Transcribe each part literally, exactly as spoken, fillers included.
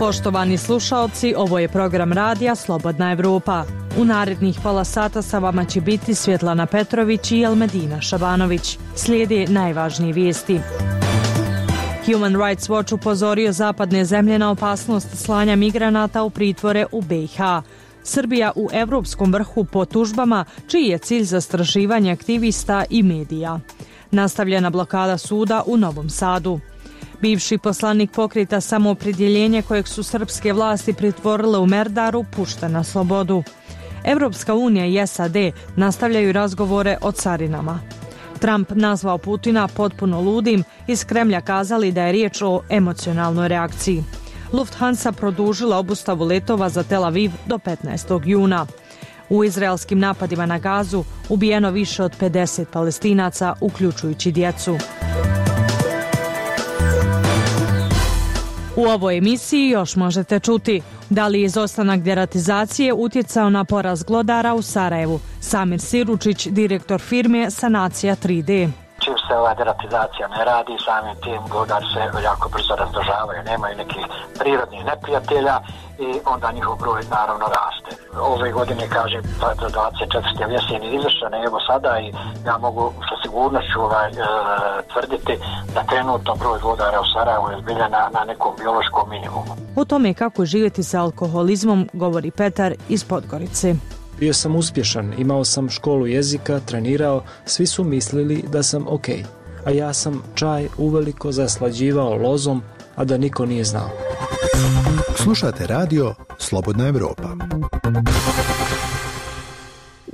Poštovani slušaoci, ovo je program radija Slobodna Evropa. U narednih pola sata sa vama će biti Svjetlana Petrović i Elmedina Šabanović. Slijede najvažnije vijesti. Human Rights Watch upozorio zapadne zemlje na opasnost slanja migranata u pritvore u B i H. Srbija u evropskom vrhu po tužbama, čiji je cilj zastrašivanje aktivista i medija. Nastavljena blokada suda u Novom Sadu. Bivši poslanik Pokreta Samoopredjeljenje kojeg su srpske vlasti pritvorile u Merdaru pušten na slobodu. Evropska unija i S A D nastavljaju razgovore o carinama. Trump nazvao Putina potpuno ludim, iz Kremlja kazali da je riječ o emocionalnoj reakciji. Lufthansa produžila obustavu letova za Tel Aviv do petnaestog juna. U izraelskim napadima na Gazu ubijeno više od pedeset Palestinaca, uključujući djecu. U ovoj emisiji još možete čuti da li je izostanak deratizacije utjecao na porast glodara u Sarajevu. Samir Siručić, direktor firme Sanacija tri D. Čim se ova deratizacija ne radi, samim tim glodari se jako brzo razmnožavaju, nemaju nekih prirodnih neprijatelja i onda njihov broj naravno raste. Ove godine, kažem, dvadeset četvrte jesen je izvršena, evo sada i ja mogu sa sigurnošću ovaj, e, tvrditi da trenutno broj glodara u Sarajevu je zbilja na, na nekom biološkom minimumu. O tome kako živjeti sa alkoholizmom govori Petar iz Podgorice. Bio sam uspješan, imao sam školu jezika, trenirao, svi su mislili da sam ok, a ja sam čaj uveliko zaslađivao lozom, a da niko nije znao. Slušate radio Slobodna Evropa.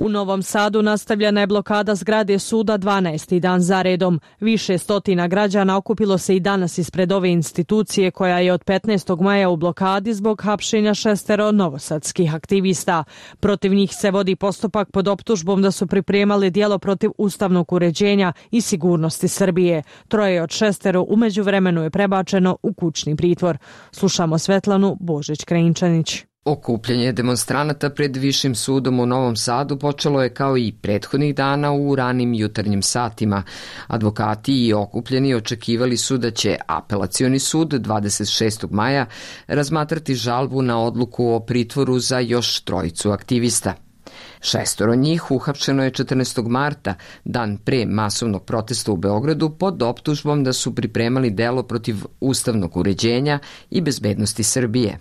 U Novom Sadu nastavljena je blokada zgrade suda dvanaesti dan za redom. Više stotina građana okupilo se i danas ispred ove institucije koja je od petnaestog maja u blokadi zbog hapšenja šestero novosadskih aktivista. Protiv njih se vodi postupak pod optužbom da su pripremali djelo protiv ustavnog uređenja i sigurnosti Srbije. Troje od šestero u međuvremenu je prebačeno u kućni pritvor. Slušamo Svetlanu Božić-Krajinčanić. Okupljanje demonstranata pred Višim sudom u Novom Sadu počelo je kao i prethodnih dana u ranim jutarnjim satima. Advokati i okupljeni očekivali su da će apelacioni sud dvadeset šestog maja razmatrati žalbu na odluku o pritvoru za još trojicu aktivista. Šestoro njih uhapšeno je četrnaestog marta, dan pre masovnog protesta u Beogradu, pod optužbom da su pripremali delo protiv ustavnog uređenja i bezbednosti Srbije.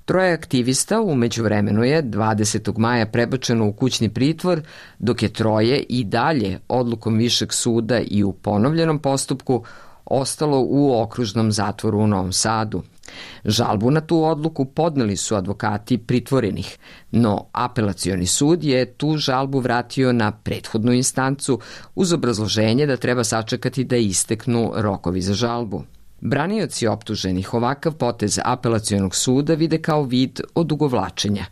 Troje aktivista u međuvremenu je dvadesetog maja prebačeno u kućni pritvor, dok je troje i dalje odlukom Višeg suda i u ponovljenom postupku ostalo u okružnom zatvoru u Novom Sadu. Žalbu na tu odluku podneli su advokati pritvorenih, no apelacioni sud je tu žalbu vratio na prethodnu instancu uz obrazloženje da treba sačekati da isteknu rokovi za žalbu. Branioci optuženih ovakav potez apelacionog suda vide kao vid odugovlačenja.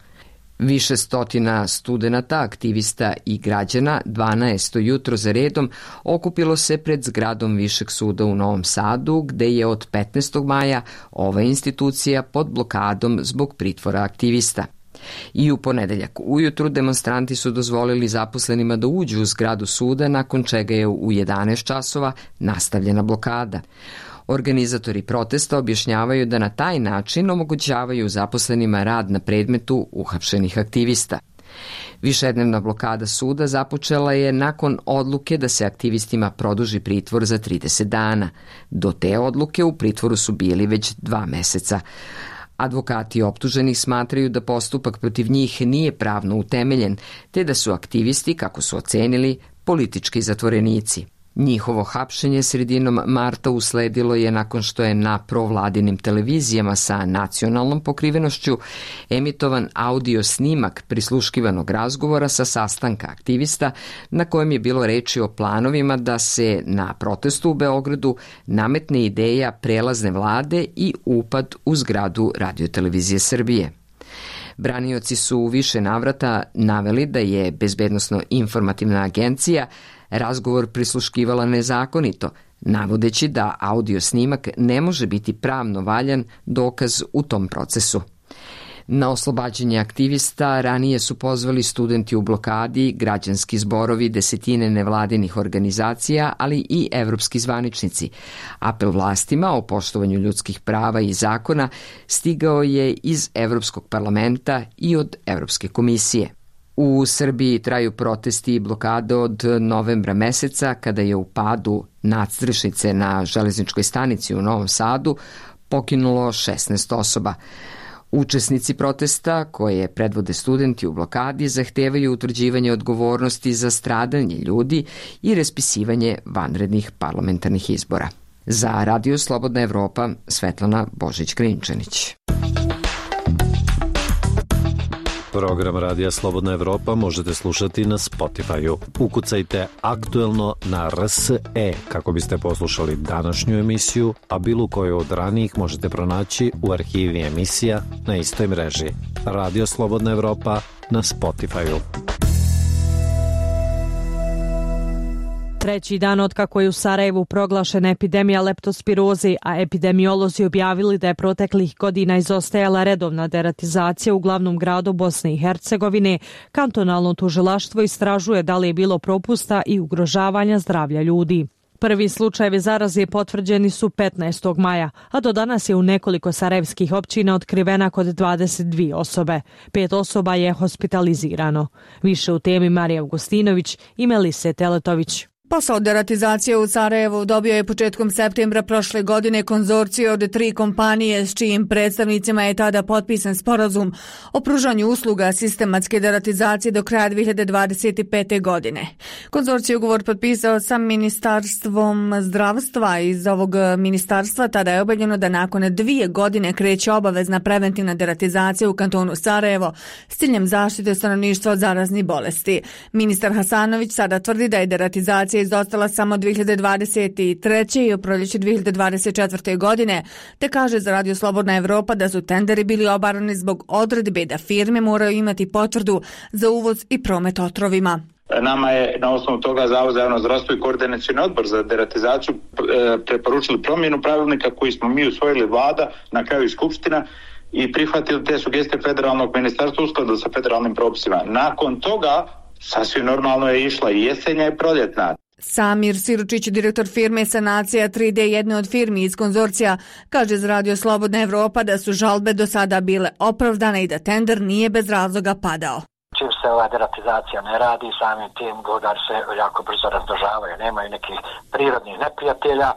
Više stotina studenata, aktivista i građana dvanaesto jutro za redom okupilo se pred zgradom Višeg suda u Novom Sadu, gde je od petnaestog maja ova institucija pod blokadom zbog pritvora aktivista. I u ponedeljak ujutru demonstranti su dozvolili zaposlenima da uđu u zgradu suda, nakon čega je u jedanaest časova nastavljena blokada. Organizatori protesta objašnjavaju da na taj način omogućavaju zaposlenima rad na predmetu uhapšenih aktivista. Višednevna blokada suda započela je nakon odluke da se aktivistima produži pritvor za trideset dana. Do te odluke u pritvoru su bili već dva meseca. Advokati optuženih smatraju da postupak protiv njih nije pravno utemeljen, te da su aktivisti, kako su ocenili, politički zatvorenici. Njihovo hapšenje sredinom marta usledilo je nakon što je na provladinim televizijama sa nacionalnom pokrivenošću emitovan audio snimak prisluškivanog razgovora sa sastanka aktivista na kojem je bilo reči o planovima da se na protestu u Beogradu nametne ideja prelazne vlade i upad u zgradu Radiotelevizije Srbije. Branioci su u više navrata naveli da je Bezbednosno-informativna agencija razgovor prisluškivala nezakonito, navodeći da audio snimak ne može biti pravno valjan dokaz u tom procesu. Na oslobađanje aktivista ranije su pozvali studenti u blokadi, građanski zborovi, desetine nevladinih organizacija, ali i evropski zvaničnici. Apel vlastima o poštovanju ljudskih prava i zakona stigao je iz Evropskog parlamenta i od Evropske komisije. U Srbiji traju protesti i blokade od novembra meseca, kada je u padu nadstrešnice na železničkoj stanici u Novom Sadu poginulo šesnaest osoba. Učesnici protesta, koje predvode studenti u blokadi, zahtevaju utvrđivanje odgovornosti za stradanje ljudi i raspisivanje vanrednih parlamentarnih izbora. Za Radio Slobodna Evropa, Svetlana Božić-Krinčanić. Program Radija Slobodna Evropa možete slušati na Spotify-u. Ukucajte aktuelno na R S E kako biste poslušali današnju emisiju, a bilo koju od ranijih možete pronaći u arhivi emisija na istoj mreži. Radio Slobodna Evropa na Spotify-u. Treći dan od kako je u Sarajevu proglašena epidemija leptospiroze, a epidemiolozi objavili da je proteklih godina izostajala redovna deratizacija u glavnom gradu Bosne i Hercegovine, kantonalno tužilaštvo istražuje da li je bilo propusta i ugrožavanja zdravlja ljudi. Prvi slučajevi zaraze potvrđeni su petnaestog maja, a do danas je u nekoliko sarajevskih općina otkrivena kod dvadeset dvije osobe. Pet osoba je hospitalizirano. Više u temi Marija Augustinović i Melise Teletović. Posao deratizacije u Sarajevu dobio je početkom septembra prošle godine konzorcije od tri kompanije s čijim predstavnicima je tada potpisan sporazum o pružanju usluga sistematske deratizacije do kraja dve hiljade dvadeset pete. godine. Konzorcij ugovor potpisao sa Ministarstvom zdravstva. Iz ovog ministarstva tada je objavljeno da nakon dvije godine kreće obavezna preventivna deratizacija u kantonu Sarajevo s ciljem zaštite stanovništva od zaraznih bolesti. Ministar Hasanović sada tvrdi da je deratizacija izostala samo dve hiljade dvadeset treće. i u proljeće dve hiljade dvadeset četvrte. godine, te kaže za Radio Slobodna Evropa da su tenderi bili obarani zbog odredbe da firme moraju imati potvrdu za uvoz i promet otrovima. Nama je na osnovu toga Zavod za javno zdravstvo i Koordinacioni odbor za deratizaciju preporučili promjenu pravilnika koji smo mi usvojili vlada, na kraju i skupština, i prihvatili te sugestije federalnog ministarstva u skladu sa federalnim propisima. Nakon toga sasvim normalno je išla i jesenja i proljetna. Samir Siručić, direktor firme Sanacija tri D, jedne od firmi iz konzorcija, kaže za Radio Slobodna Evropa da su žalbe do sada bile opravdane i da tender nije bez razloga padao. Čim se ova deratizacija ne radi, samim tim godar se jako brzo razdožavaju, nemaju nekih prirodnih neprijatelja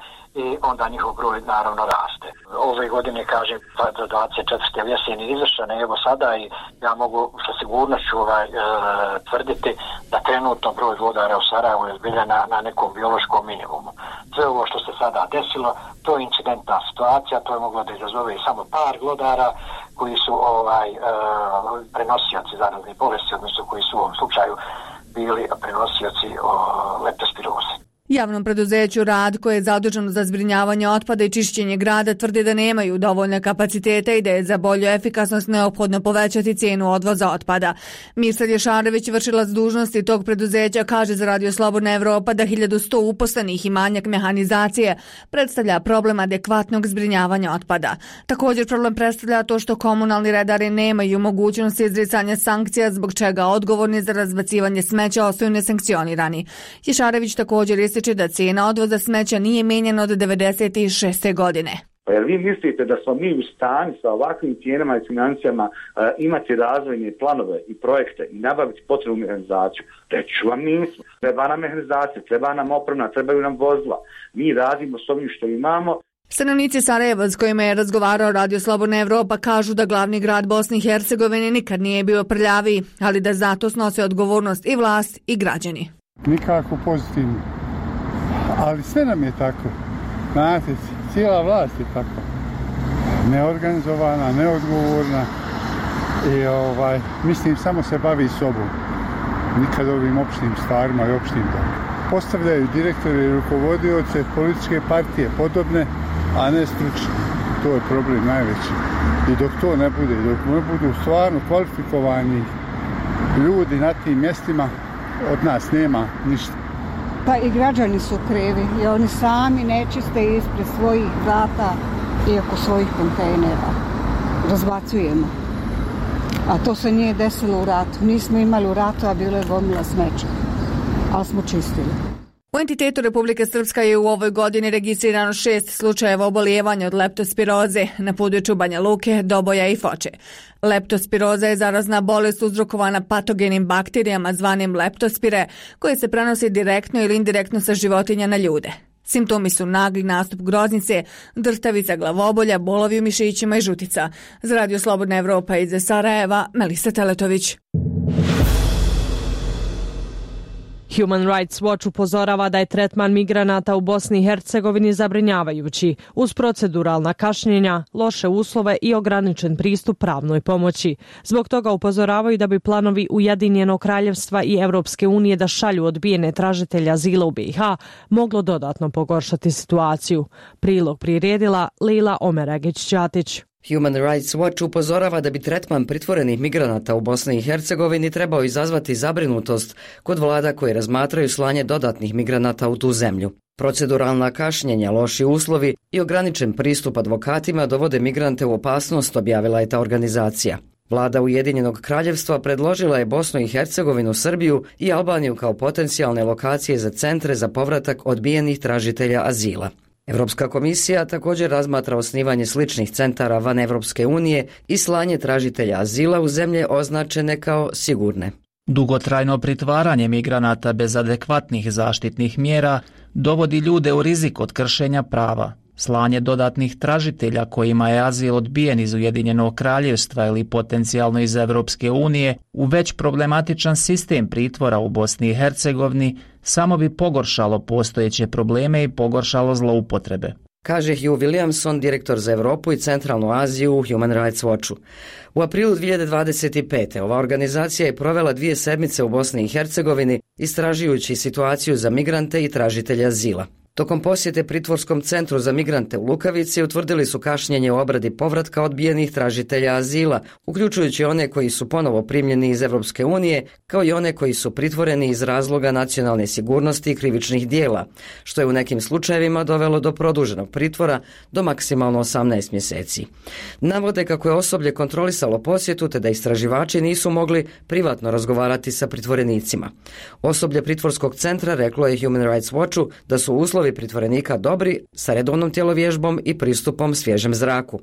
i onda njihov broj naravno raste. Ove godine, kažem, dvadeset četvrte jesen je izvršena, evo sada, i ja mogu sa sigurnošću ovaj, e, tvrditi da trenutno broj glodara u Sarajevu je zbilja na, na nekom biološkom minimumu. Sve ovo što se sada desilo, to je incidentna situacija, to je moglo da izazove i samo par glodara koji su ovaj, e, prenosioci zaraznih bolesti, odnosno koji su u ovom slučaju bili prenosioci leptospiroze. Javnom preduzeću Rad, koje je zaduženo za zbrinjavanje otpada i čišćenje grada, tvrdi da nemaju dovoljne kapacitete i da je za bolju efikasnost neophodno povećati cijenu odvoza otpada. Mirsad Ješarević, vršilac dužnosti tog preduzeća, kaže za Radio Slobodna Evropa da hiljadu sto uposlenih i manjak mehanizacije predstavlja problem adekvatnog zbrinjavanja otpada. Također problem predstavlja to što komunalni redari nemaju mogućnosti izricanja sankcija, zbog čega odgovorni za razbacivanje smeća ostaju nesankcionirani. Ješarević također je da cijena odvoza smeća nije mijenjana od devedeset šeste. godine. Pa jer vi mislite da smo mi u stanju sa ovakvim cijenama i financijama uh, imati razvojne planove i projekte i nabaviti potrebnu mehanizaciju? Reću vam nismo. Treba nam mehanizacija, treba nam oprema, trebaju nam vozila. Mi radimo s ovim što imamo. Stanovnici Sarajeva s kojima je razgovarao Radio Slobodna Evropa kažu da glavni grad Bosne i Hercegovine nikad nije bio prljaviji, ali da zato snose odgovornost i vlast i građani. Nikako pozitivno. Ali sve nam je tako. Znate, cijela vlast je tako. Neorganizovana, neodgovorna i ovaj, mislim samo se bavi sobom. Nikad ovim opštim stvarima i opštim dobro. Postavljaju direktore i rukovodioce političke partije podobne, a ne stručne. To je problem najveći. I dok to ne bude, dok ne budu stvarno kvalifikovani ljudi na tim mjestima, od nas nema ništa. Pa i građani su krivi i oni sami nečiste ispred svojih vrata i oko svojih kontejnera. Razbacujemo. A to se nije desilo u ratu. Nismo imali u ratu, a bilo je gomila smeća. Ali smo čistili. U entitetu Republike Srpska je u ovoj godini registrirano šest slučajeva obolijevanja od leptospiroze na području Banja Luke, Doboja i Foče. Leptospiroza je zarazna bolest uzrokovana patogenim bakterijama zvanim leptospire, koje se prenosi direktno ili indirektno sa životinja na ljude. Simptomi su nagli nastup groznice, drhtavica, glavobolja, bolovi u mišićima i žutica. Za Radio Slobodna Evropa iz Sarajeva, Melisa Teletović. Human Rights Watch upozorava da je tretman migranata u Bosni i Hercegovini zabrinjavajući, uz proceduralna kašnjenja, loše uslove i ograničen pristup pravnoj pomoći. Zbog toga upozoravaju da bi planovi Ujedinjenog kraljevstva i Evropske unije da šalju odbijene tražitelja azila u B i H moglo dodatno pogoršati situaciju. Prilog priredila Lila Omeragić-Ćatić. Human Rights Watch upozorava da bi tretman pritvorenih migranata u Bosni i Hercegovini trebao izazvati zabrinutost kod vlada koje razmatraju slanje dodatnih migranata u tu zemlju. Proceduralna kašnjenja, loši uslovi i ograničen pristup advokatima dovode migrante u opasnost, objavila je ta organizacija. Vlada Ujedinjenog kraljevstva predložila je Bosnu i Hercegovinu, Srbiju i Albaniju kao potencijalne lokacije za centre za povratak odbijenih tražitelja azila. Evropska komisija također razmatra osnivanje sličnih centara van Evropske unije i slanje tražitelja azila u zemlje označene kao sigurne. Dugotrajno pritvaranje migranata bez adekvatnih zaštitnih mjera dovodi ljude u rizik od kršenja prava. Slanje dodatnih tražitelja kojima je azil odbijen iz Ujedinjenog kraljevstva ili potencijalno iz Evropske unije u već problematičan sistem pritvora u Bosni i Hercegovini samo bi pogoršalo postojeće probleme i pogoršalo zloupotrebe, kaže Hugh Williamson, direktor za Europu i Centralnu Aziju u Human Rights Watchu. U aprilu dvije hiljade dvadeset pete. ova organizacija je provela dvije sedmice u Bosni i Hercegovini istražujući situaciju za migrante i tražitelje azila. Tokom posjete pritvorskom centru za migrante u Lukavici utvrdili su kašnjenje u obradi povratka odbijenih tražitelja azila, uključujući one koji su ponovo primljeni iz Evropske unije, kao i one koji su pritvoreni iz razloga nacionalne sigurnosti i krivičnih dijela, što je u nekim slučajevima dovelo do produženog pritvora do maksimalno osamnaest mjeseci. Navode kako je osoblje kontrolisalo posjetu te da istraživači nisu mogli privatno razgovarati sa pritvorenicima. Osoblje pritvorskog centra reklo je Human Rights Watchu da su uslovi pritvorenika dobri sa redovnom tjelovježbom i pristupom svježem zraku.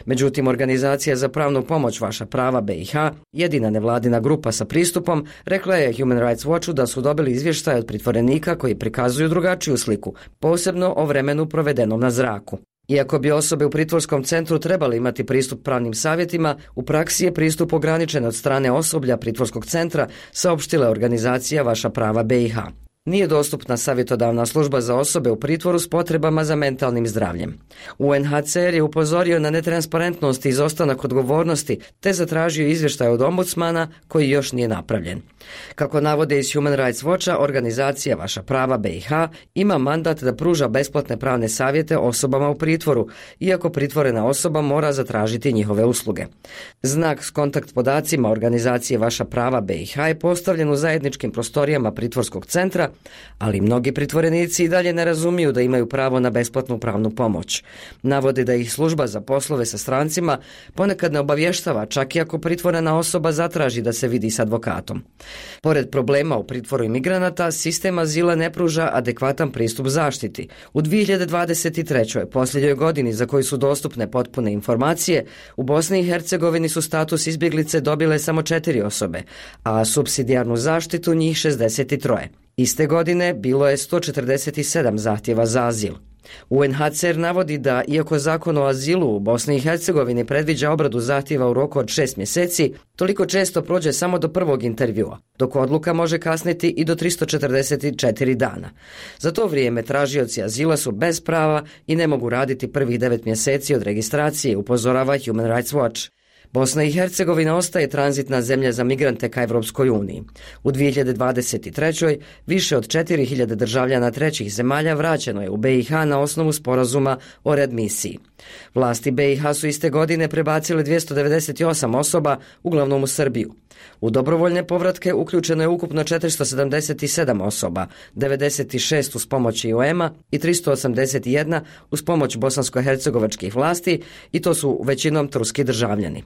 Međutim, organizacija za pravnu pomoć Vaša prava B i H, jedina nevladina grupa sa pristupom, rekla je Human Rights Watchu da su dobili izvještaj od pritvorenika koji prikazuju drugačiju sliku, posebno o vremenu provedenom na zraku. Iako bi osobe u pritvorskom centru trebali imati pristup pravnim savjetima, u praksi je pristup ograničen od strane osoblja pritvorskog centra, saopštila organizacija Vaša prava B i H. Nije dostupna savjetodavna služba za osobe u pritvoru s potrebama za mentalnim zdravljem. U N H C R je upozorio na netransparentnost i izostanak odgovornosti te zatražio izvještaj od ombudsmana koji još nije napravljen. Kako navode iz Human Rights Watcha, organizacija Vaša prava B i H ima mandat da pruža besplatne pravne savjete osobama u pritvoru, iako pritvorena osoba mora zatražiti njihove usluge. Znak s kontakt podacima organizacije Vaša prava B i H je postavljen u zajedničkim prostorijama pritvorskog centra, ali mnogi pritvorenici i dalje ne razumiju da imaju pravo na besplatnu pravnu pomoć. Navode da ih služba za poslove sa strancima ponekad ne obavještava, čak i ako pritvorena osoba zatraži da se vidi s advokatom. Pored problema u pritvoru imigranata, sistem azila ne pruža adekvatan pristup zaštiti. U dvije hiljade dvadeset trećoj. posljednjoj godini za koju su dostupne potpune informacije, u Bosni i Hercegovini su status izbjeglice dobile samo četiri osobe, a supsidijarnu zaštitu njih šezdeset tri. Iste godine bilo je sto četrdeset sedam zahtjeva za azil. U N H C R navodi da, iako zakon o azilu u Bosni i Hercegovini predviđa obradu zahtjeva u roku od šest mjeseci, toliko često prođe samo do prvog intervjua, dok odluka može kasniti i do tristo četrdeset četiri dana. Za to vrijeme tražioci azila su bez prava i ne mogu raditi prvih devet mjeseci od registracije, upozorava Human Rights Watch. Bosna i Hercegovina ostaje tranzitna zemlja za migrante ka Evropskoj uniji. U dvije hiljade dvadeset trećoj. više od četiri hiljade državljana trećih zemalja vraćeno je u B i H na osnovu sporazuma o readmisiji. Vlasti B i H su iste godine prebacile dvjesto devedeset osam osoba, uglavnom u Srbiju. U dobrovoljne povratke uključeno je ukupno četiristo sedamdeset sedam osoba, devedeset šest uz pomoć I O M-a i tristo osamdeset jedna uz pomoć bosansko-hercegovačkih vlasti, i to su većinom turski državljani.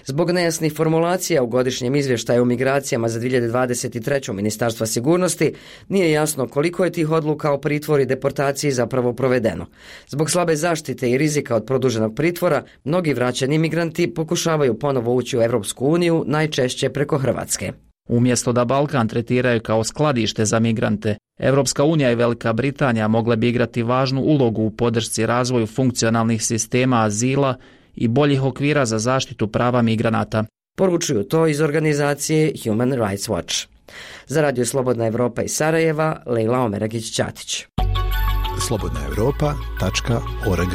Zbog nejasnih formulacija u godišnjem izvještaju o migracijama za dvije hiljade dvadeset treću. Ministarstva sigurnosti nije jasno koliko je tih odluka o pritvoru i deportaciji zapravo provedeno. Zbog slabe zaštite i rizika od produženog pritvora, mnogi vraćani migranti pokušavaju ponovo ući u Europsku uniju, najčešće preko Hrvatske. Umjesto da Balkan tretiraju kao skladište za migrante, Europska unija i Velika Britanija mogle bi igrati važnu ulogu u podršci razvoju funkcionalnih sistema azila i boljih okvira za zaštitu prava migranata. Poručuju to iz organizacije Human Rights Watch. Za Radio Slobodna Evropa iz Sarajeva, Lejla Omeragić-Ćatić. slobodna europa tačka org.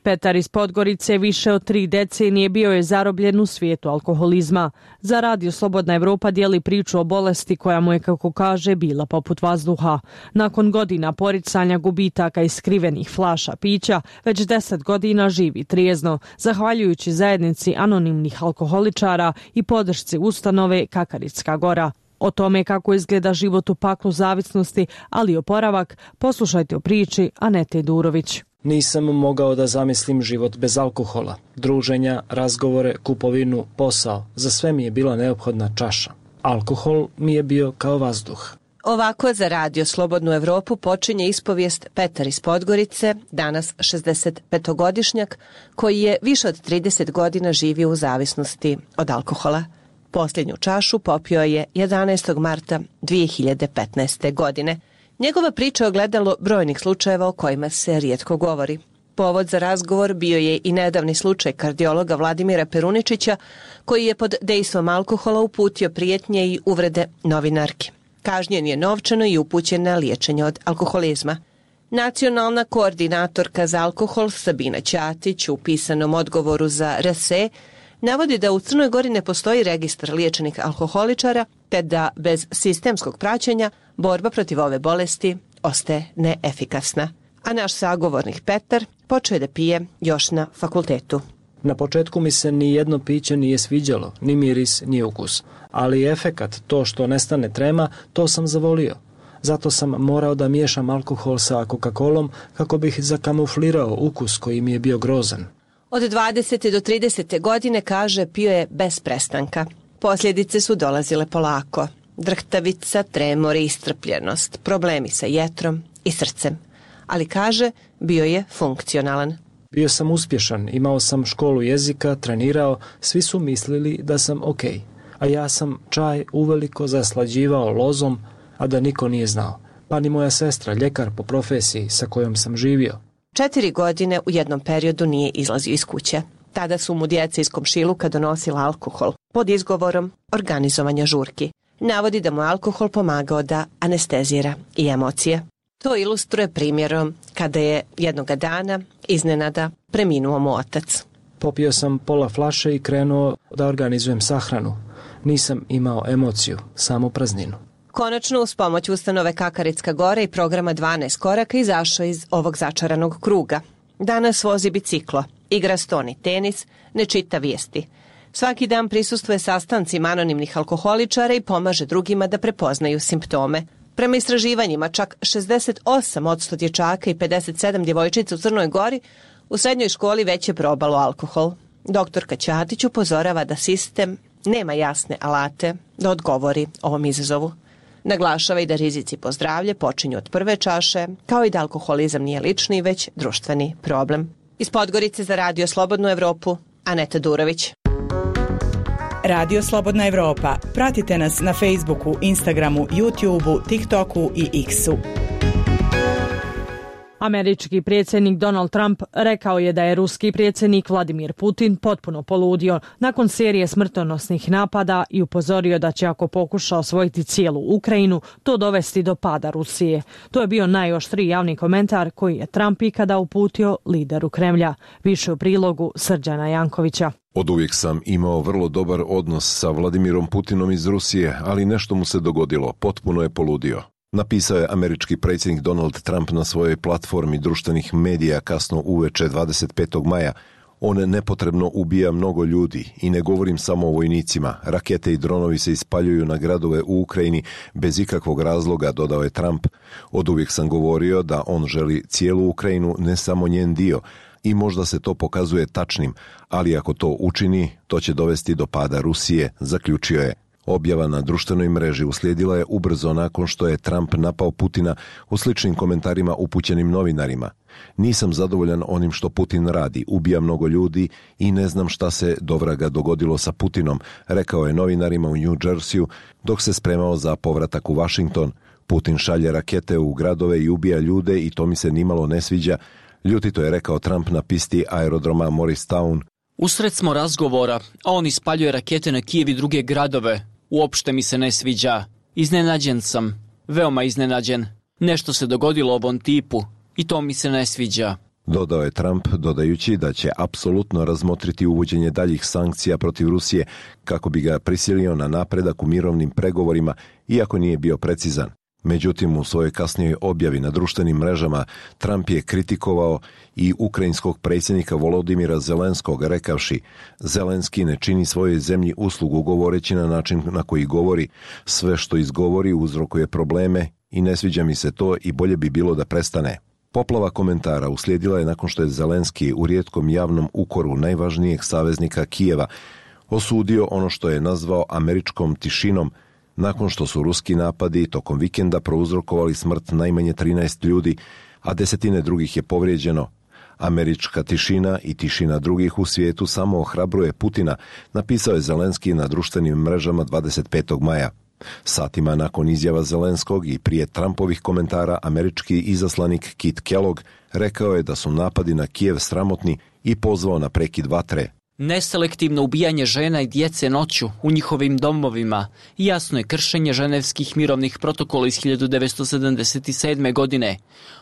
Petar iz Podgorice više od tri decenije bio je zarobljen u svijetu alkoholizma. Za Radio Slobodna Evropa dijeli priču o bolesti koja mu je, kako kaže, bila poput vazduha. Nakon godina poricanja, gubitaka i skrivenih flaša pića, već deset godina živi trijezno, zahvaljujući zajednici anonimnih alkoholičara i podršci ustanove Kakaritska gora. O tome kako izgleda život u paklu zavisnosti, ali i oporavak, poslušajte u priči Anete Durović. Nisam mogao da zamislim život bez alkohola. Druženja, razgovore, kupovinu, posao. Za sve mi je bila neophodna čaša. Alkohol mi je bio kao vazduh. Ovako za Radio Slobodnu Evropu počinje ispovijest Petar iz Podgorice, danas šezdesetpetogodišnjak, koji je više od trideset godina živio u zavisnosti od alkohola. Posljednju čašu popio je jedanaestog marta dvije hiljade petnaeste. godine. Njegova priča je ogledalo brojnih slučajeva o kojima se rijetko govori. Povod za razgovor bio je i nedavni slučaj kardiologa Vladimira Peruničića, koji je pod dejstvom alkohola uputio prijetnje i uvrede novinarki. Kažnjen je novčano i upućen na liječenje od alkoholizma. Nacionalna koordinatorka za alkohol Sabina Ćatić u pisanom odgovoru za R S E navodi da u Crnoj Gori ne postoji registar liječenih alkoholičara, te da bez sistemskog praćenja borba protiv ove bolesti ostaje neefikasna. A naš sagovornik Petar počeo je da pije još na fakultetu. Na početku mi se ni jedno piće nije sviđalo, ni miris, ni ukus. Ali efekat, to što nestane trema, to sam zavolio. Zato sam morao da miješam alkohol sa Coca-Colom kako bih zakamuflirao ukus koji mi je bio grozan. Od dvadesete do tridesete godine, kaže, pio je bez prestanka. Posljedice su dolazile polako. Drhtavica, tremor i istrpljenost, problemi sa jetrom i srcem. Ali, kaže, bio je funkcionalan. Bio sam uspješan, imao sam školu jezika, trenirao, svi su mislili da sam ok. A ja sam čaj uveliko zaslađivao lozom, a da niko nije znao. Pa ni moja sestra, ljekar po profesiji sa kojom sam živio. Četiri godine u jednom periodu nije izlazio iz kuće. Tada su mu djeca iz komšiluka donosila alkohol pod izgovorom organizovanja žurki. Navodi da mu alkohol pomagao da anestezira i emocije. To ilustruje primjerom kada je jednoga dana iznenada preminuo mu otac. Popio sam pola flaše i krenuo da organizujem sahranu. Nisam imao emociju, samo prazninu. Konačno, uz pomoć ustanove Kakaritska gora i programa dvanaest koraka izašao iz ovog začaranog kruga. Danas vozi biciklo, igra stoni tenis, ne čita vijesti. Svaki dan prisustvuje sastancima anonimnih alkoholičara i pomaže drugima da prepoznaju simptome. Prema istraživanjima, čak šezdeset osam posto dječaka i pedeset sedam djevojčica u Crnoj Gori u srednjoj školi već je probalo alkohol. Doktorka Ćatić upozorava da sistem nema jasne alate da odgovori ovom izazovu. Naglašava i da rizici po zdravlje počinju od prve čaše, kao i da alkoholizam nije lični, već društveni problem. Iz Podgorice za Radio Slobodnu Evropu, Aneta Durović. Radio Slobodna Evropa. Pratite nas na Facebooku, Instagramu, YouTubeu, TikToku i X-u. Američki predsjednik Donald Trump rekao je da je ruski predsjednik Vladimir Putin potpuno poludio nakon serije smrtonosnih napada i upozorio da će, ako pokuša osvojiti cijelu Ukrajinu, to dovesti do pada Rusije. To je bio najoštriji javni komentar koji je Trump ikada uputio lideru Kremlja. Više u prilogu Srđana Jankovića. Oduvijek sam imao vrlo dobar odnos sa Vladimirom Putinom iz Rusije, ali nešto mu se dogodilo, potpuno je poludio. Napisao je američki predsjednik Donald Trump na svojoj platformi društvenih medija kasno uveče dvadeset petog maja. On nepotrebno ubija mnogo ljudi i ne govorim samo o vojnicima. Rakete i dronovi se ispaljuju na gradove u Ukrajini bez ikakvog razloga, dodao je Trump. Oduvijek sam govorio da on želi cijelu Ukrajinu, ne samo njen dio. i možda se to pokazuje tačnim, ali ako to učini, to će dovesti do pada Rusije, zaključio je. Objava na društvenoj mreži uslijedila je ubrzo nakon što je Trump napao Putina u sličnim komentarima upućenim novinarima. Nisam zadovoljan onim što Putin radi, ubija mnogo ljudi i ne znam šta se dovraga dogodilo sa Putinom, rekao je novinarima u New Jerseyu dok se spremao za povratak u Washington. Putin šalje rakete u gradove i ubija ljude i to mi se nimalo ne sviđa, ljutito je rekao Trump na pisti aerodroma Morristown. Usred smo razgovora, a on ispaljuje rakete na Kijev i druge gradove. Uopšte mi se ne sviđa. Iznenađen sam. Veoma iznenađen. Nešto se dogodilo ovom tipu i to mi se ne sviđa. Dodao je Trump, dodajući da će apsolutno razmotriti uvođenje daljih sankcija protiv Rusije kako bi ga prisilio na napredak u mirovnim pregovorima, iako nije bio precizan. Međutim, u svojoj kasnijoj objavi na društvenim mrežama Trump je kritikovao i ukrajinskog predsjednika Volodimira Zelenskog, rekavši: Zelenski ne čini svojoj zemlji uslugu govoreći na način na koji govori, sve što izgovori uzrokuje probleme i ne sviđa mi se to i bolje bi bilo da prestane. Poplava komentara uslijedila je nakon što je Zelenski u rijetkom javnom ukoru najvažnijeg saveznika Kijeva osudio ono što je nazvao američkom tišinom, nakon što su ruski napadi tokom vikenda prouzrokovali smrt najmanje trinaest ljudi, a desetine drugih je povrijeđeno. Američka tišina i tišina drugih u svijetu samo ohrabruje Putina, napisao je Zelenski na društvenim mrežama dvadeset petog maja. Satima nakon izjava Zelenskog i prije Trumpovih komentara, američki izaslanik Kit Kellogg rekao je da su napadi na Kijev sramotni i pozvao na prekid vatre. Neselektivno ubijanje žena i djece noću u njihovim domovima jasno je kršenje ženevskih mirovnih protokola iz hiljadu devetsto sedamdeset sedme. godine,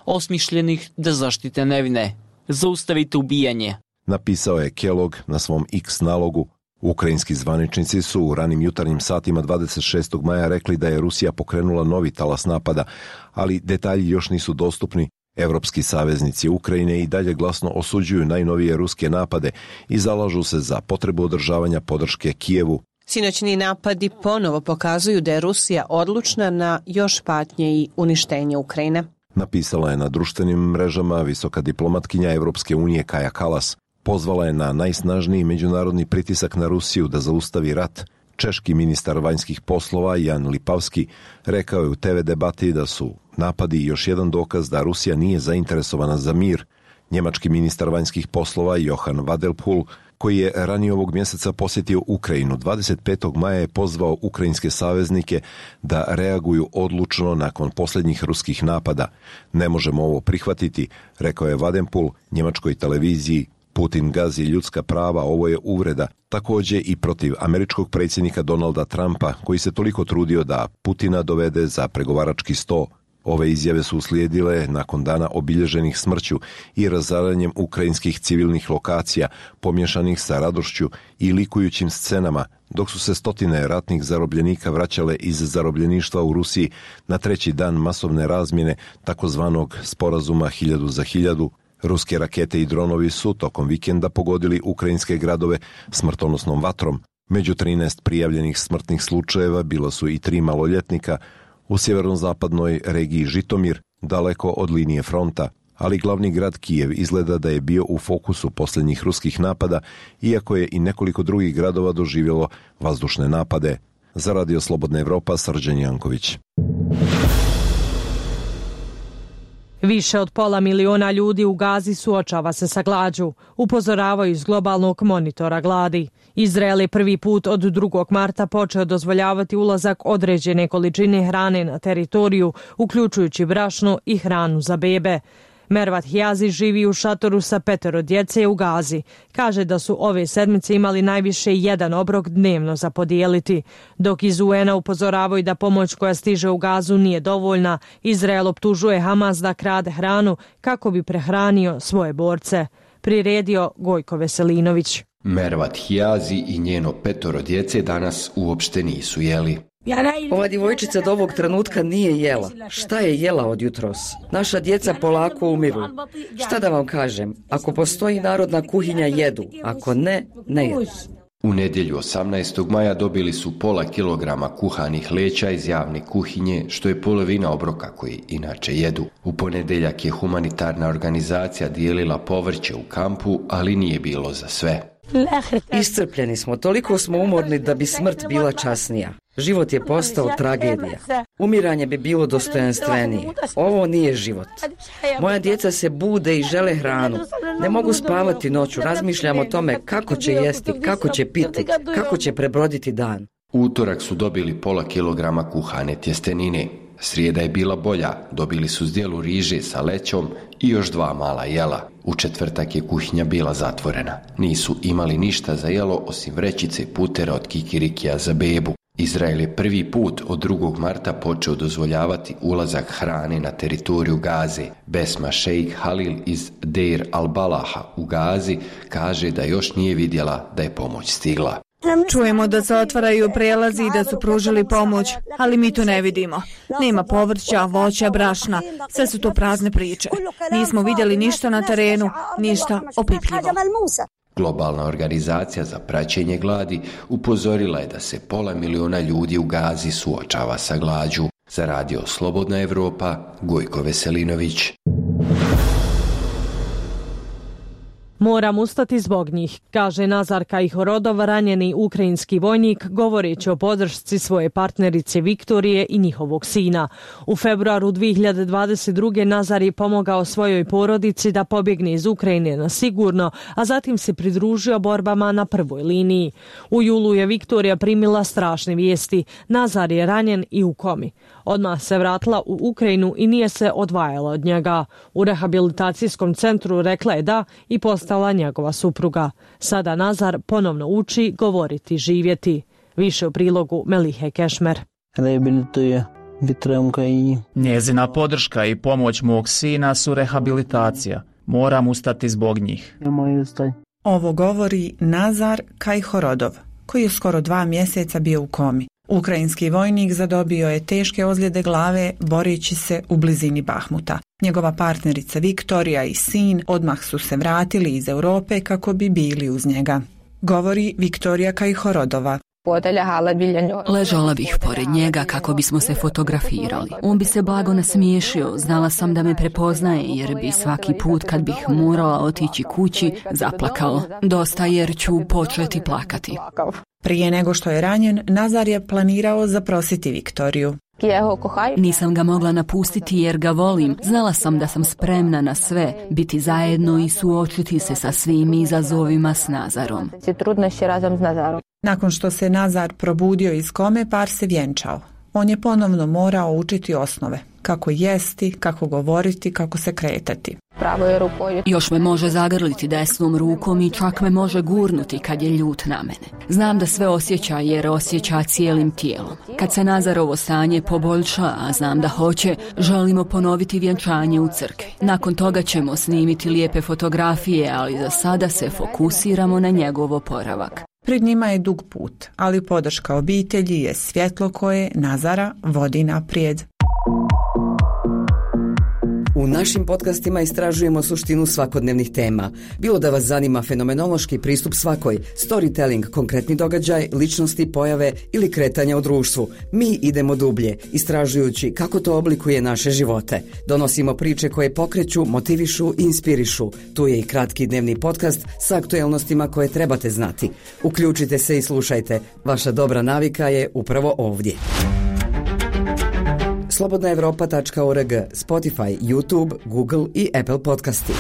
osmišljenih da zaštite nevine. Zaustavite ubijanje, napisao je Kellogg na svom X nalogu. Ukrajinski zvaničnici su u ranim jutarnjim satima dvadeset šestog maja rekli da je Rusija pokrenula novi talas napada, ali detalji još nisu dostupni. Evropski saveznici Ukrajine i dalje glasno osuđuju najnovije ruske napade i zalažu se za potrebu održavanja podrške Kijevu. Sinoćni napadi ponovo pokazuju da je Rusija odlučna na još patnje i uništenje Ukrajine. Napisala je na društvenim mrežama visoka diplomatkinja Evropske unije Kaja Kallas. Pozvala je na najsnažniji međunarodni pritisak na Rusiju da zaustavi rat. Češki ministar vanjskih poslova Jan Lipavski rekao je u te ve debati da su napadi još jedan dokaz da Rusija nije zainteresovana za mir. Njemački ministar vanjskih poslova Johan Wadelpul, koji je ranije ovog mjeseca posjetio Ukrajinu, dvadeset petog maja je pozvao ukrajinske saveznike da reaguju odlučno nakon posljednjih ruskih napada. Ne možemo ovo prihvatiti, rekao je Wadelpul njemačkoj televiziji. Putin gazi ljudska prava, ovo je uvreda, također i protiv američkog predsjednika Donalda Trumpa, koji se toliko trudio da Putina dovede za pregovarački sto. Ove izjave su uslijedile nakon dana obilježenih smrću i razaranjem ukrajinskih civilnih lokacija, pomješanih sa radošću i likujućim scenama, dok su se stotine ratnih zarobljenika vraćale iz zarobljeništva u Rusiji na treći dan masovne razmjene takozvanog sporazuma hiljadu za hiljadu. Ruske rakete i dronovi su tokom vikenda pogodili ukrajinske gradove smrtonosnom vatrom. Među trinaest prijavljenih smrtnih slučajeva bilo su i tri maloljetnika u sjeverozapadnoj regiji Žitomir, daleko od linije fronta, ali glavni grad Kijev izgleda da je bio u fokusu posljednjih ruskih napada, iako je i nekoliko drugih gradova doživjelo vazdušne napade. Za Radio Slobodna Evropa, Srđan Janković. Više od pola miliona ljudi u Gazi suočava se sa glađu, upozoravaju iz globalnog monitora gladi. Izrael je prvi put od drugog marta počeo dozvoljavati ulazak određene količine hrane na teritoriju, uključujući brašno i hranu za bebe. Mervat Hijazi živi u šatoru sa petero djece u Gazi. Kaže da su ove sedmice imali najviše jedan obrok dnevno za podijeliti. Dok iz U N-a upozoravaju da pomoć koja stiže u Gazu nije dovoljna, Izrael optužuje Hamas da krade hranu kako bi prehranio svoje borce. Priredio Gojko Veselinović. Mervat Hijazi i njeno petoro djece danas uopšte nisu jeli. Ova djevojčica do ovog trenutka nije jela. Šta je jela od jutros? Naša djeca polako umiru. Šta da vam kažem? Ako postoji narodna kuhinja, jedu. Ako ne, ne jedu. U nedjelju osamnaestog maja dobili su pola kilograma kuhanih leća iz javne kuhinje, što je polovina obroka koji inače jedu. U ponedjeljak je humanitarna organizacija dijelila povrće u kampu, ali nije bilo za sve. Iscrpljeni smo, toliko smo umorni da bi smrt bila časnija. Život je postao tragedija. Umiranje bi bilo dostojanstvenije. Ovo nije život. Moja djeca se bude i žele hranu. Ne mogu spavati noću, razmišljam o tome kako će jesti, kako će piti, kako će prebroditi dan. U utorak su dobili pola kilograma kuhane tjestenine. Srijeda je bila bolja, dobili su zdjelu riže sa lećom i još dva mala jela. U četvrtak je kuhinja bila zatvorena. Nisu imali ništa za jelo osim vrećice putera od kikirikija za bebu. Izrael je prvi put od drugog marta počeo dozvoljavati ulazak hrane na teritoriju Gaze. Besma šejk Halil iz Deir al-Balaha u Gazi kaže da još nije vidjela da je pomoć stigla. Čujemo da se otvaraju prelazi i da su pružili pomoć, ali mi to ne vidimo. Nema povrća, voća, brašna, sve su to prazne priče. Nismo vidjeli ništa na terenu, ništa opipljivo. Globalna organizacija za praćenje gladi upozorila je da se pola miliona ljudi u Gazi suočava sa glađu. Za radio Slobodna Evropa, Gojko Veselinović. Moram ustati zbog njih, kaže Nazar Kajhorodov, ranjeni ukrajinski vojnik, govoreći o podršci svoje partnerice Viktorije i njihovog sina. U februaru dvije hiljade dvadeset druge. Nazar je pomogao svojoj porodici da pobjegne iz Ukrajine na sigurno, a zatim se pridružio borbama na prvoj liniji. U julu je Viktorija primila strašne vijesti. Nazar je ranjen i u komi. Odmah se vratila u Ukrajinu i nije se odvajala od njega. U rehabilitacijskom centru rekla je da i postala njegova supruga. Sada Nazar ponovno uči govoriti, živjeti. Više u prilogu Melihe Kešmer. Njezina podrška i pomoć mog sina su rehabilitacija. Moram ustati zbog njih. Ovo govori Nazar Kajhorodov, koji je skoro dva mjeseca bio u komi. Ukrajinski vojnik zadobio je teške ozljede glave boreći se u blizini Bahmuta. Njegova partnerica Viktorija i sin odmah su se vratili iz Europe kako bi bili uz njega. Govori Viktorija Kajhorodova. Ležala bih pored njega kako bismo se fotografirali. On bi se blago nasmiješio, znala sam da me prepoznaje jer bi svaki put kad bih morala otići kući zaplakao. Dosta jer ću početi plakati. Prije nego što je ranjen, Nazar je planirao zaprositi Viktoriju. Nisam ga mogla napustiti jer ga volim. Znala sam da sam spremna na sve, biti zajedno i suočiti se sa svim izazovima s Nazarom. Nakon što se Nazar probudio iz kome, par se vjenčao. On je ponovno morao učiti osnove. Kako jesti, kako govoriti, kako se kretati. Još me može zagrliti desnom rukom i čak me može gurnuti kad je ljut na mene. Znam da sve osjeća jer osjeća cijelim tijelom. Kad se Nazarovo stanje poboljša, a znam da hoće, želimo ponoviti vjenčanje u crkvi. Nakon toga ćemo snimiti lijepe fotografije, ali za sada se fokusiramo na njegov oporavak. Pred njima je dug put, ali podrška obitelji je svjetlo koje Nazara vodi naprijed. U našim podcastima istražujemo suštinu svakodnevnih tema. Bilo da vas zanima fenomenološki pristup svakoj, storytelling, konkretni događaj, ličnosti, pojave ili kretanja u društvu. Mi idemo dublje, istražujući kako to oblikuje naše živote. Donosimo priče koje pokreću, motivišu i inspirišu. Tu je i kratki dnevni podcast sa aktuelnostima koje trebate znati. Uključite se i slušajte. Vaša dobra navika je upravo ovdje. slobodna evropa tačka org, Spotify, YouTube, Google i Apple podcasti.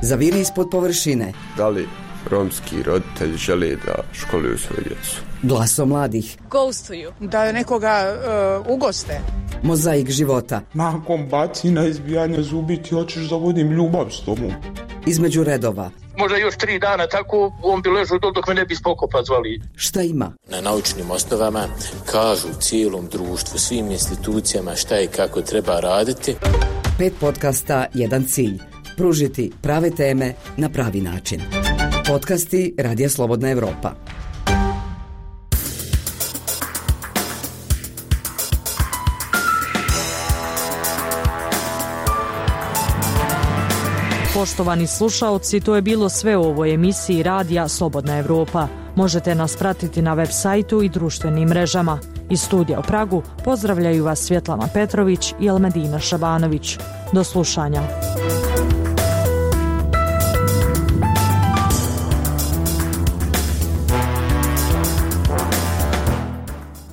Zaviri ispod površine. Da li romski roditelji žele da školuju svoju djecu? Glaso mladih. Ghostuju. Da nekoga uh, ugoste. Mozaik života. Nakon bacina, izbijanja zubi ti hoćeš da vodim ljubav s tobom. Između redova. Možda još tri dana tako on bi ležao dok me ne bi spokopa zvali. Šta ima? Na naučnim osnovama kažu cijelom društvu, svim institucijama šta i kako treba raditi. Pet podcasta, jedan cilj. Pružiti prave teme na pravi način. Podcasti Radija Slobodna Evropa. Poštovani slušaoci, to je bilo sve u ovoj emisiji radija Slobodna Evropa. Možete nas pratiti na web sajtu i društvenim mrežama. Iz studija u Pragu pozdravljaju vas Svjetlana Petrović i Elmedina Šabanović. Do slušanja.